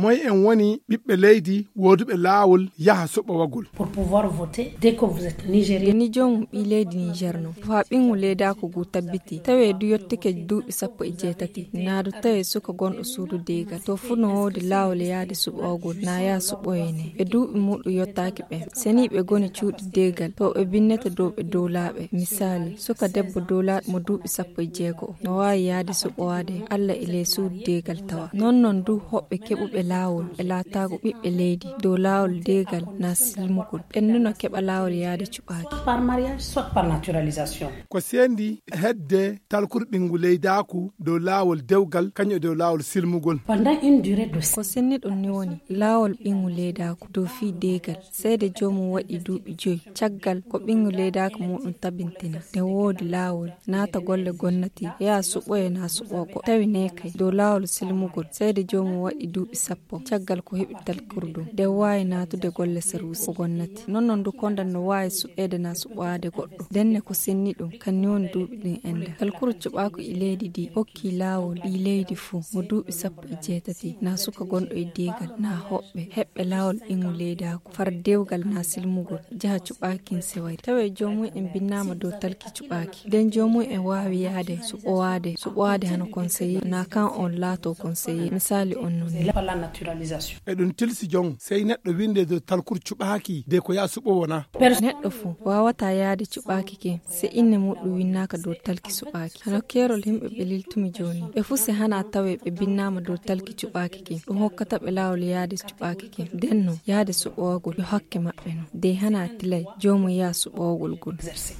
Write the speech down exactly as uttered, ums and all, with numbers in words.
Moy en woni ɓiɓɓe leydi wooduɓe laawol yaha suɓowagol? Pour pouvoir voter, dès que vous êtes nigérien. Ni joomum ɓii leydi Niger non. Faa ɓinngu leydaaku ngu tabbiti. Tawee du yottike duuɓi sappo e jeetati. Naa du tawee suka gonɗo suudu deegal. To fuu no woodi laawol yaade suɓoogol, naa yaa suɓoyee ne. Ɓe duuɓi muuɗum yottaaki ɓen. Seniiɓe goni cuuɗi deegal. To ɓe binnete dow ɓe dowlaaɓe. Misaali, suka debbo dowlaaɗo mo duuɓi sappo e jeego. No waawi yaade suɓowaade Alla e ley suudu deegal tawa. Non non du hoɓɓe keɓuɓe laawol e laataago ɓiɓɓe leydi dow laawol deegal naa silmugol. Ɓen du no keɓa laawol yaade cuɓaaki. Soit par mariage, soit par naturalisation. Ko seendi hedde talkuru ɓinngu leydaaku dow laawol dewgal, kañum e dow laawol silmugol. Pendant une durée de Ko senni ɗum ni woni laawol ɓinngu leydaaku dow fii deegal. Seede joomum waɗi duuɓi joy. Caggal ko ɓinngu leydaaku muuɗum tabintina. Nde woodi laawol naata golle gonnati, yaa suɓoye naa suɓoo goɗɗo. Tawi ne kay, dow laawol silmugol, seede joomum waɗi duuɓi sappo. Caggal ko heɓi talkuru ɗum, nden waawi naatude golle serwis ko gonnati. Non non du kondan no waawi suɓeede naa suɓowaade goɗɗo. Ndenne ko senni ɗum, kan ni woni duuɓi ɗin enda. Talkuru cuɓaaku e leydi ndi hokki laawol ɓii leydi fuu mo duuɓi sappo e jeetati, naa suka gonɗo e deegal, naa hoɓɓe, heɓɓe laawol ɓinngu leydaaku, far dewgal naa silmugol, jaha cuɓaakin sewari. Tawee joomum en binnaama dow talki cuɓaaki. Nden joomum en waawi yaade suɓowaade, suɓowaade hano konseye, naa kan on laatoo konseye, misaali on non ni. E ɗum tilsi jon, sey neɗɗo winnde dow talkuru cuɓaaki, de ko yaa suɓowo naa? Neɗɗo fuu waawataa yaade cuɓaaki ken, se inne muuɗum winnaaka dow talki suɓaaki. Hano keerol himɓe ɓe liltumi jooni, ɓe fuu se hanaa tawee ɓe binnaama dow talki cuɓaaki ken, ɗum hokkata ɓe laawol yaade cuɓaaki ken. Nden non, yaade suɓowagol yo hakke maɓɓe non. De hanaa tilay joomum yaa suɓowagol ngol.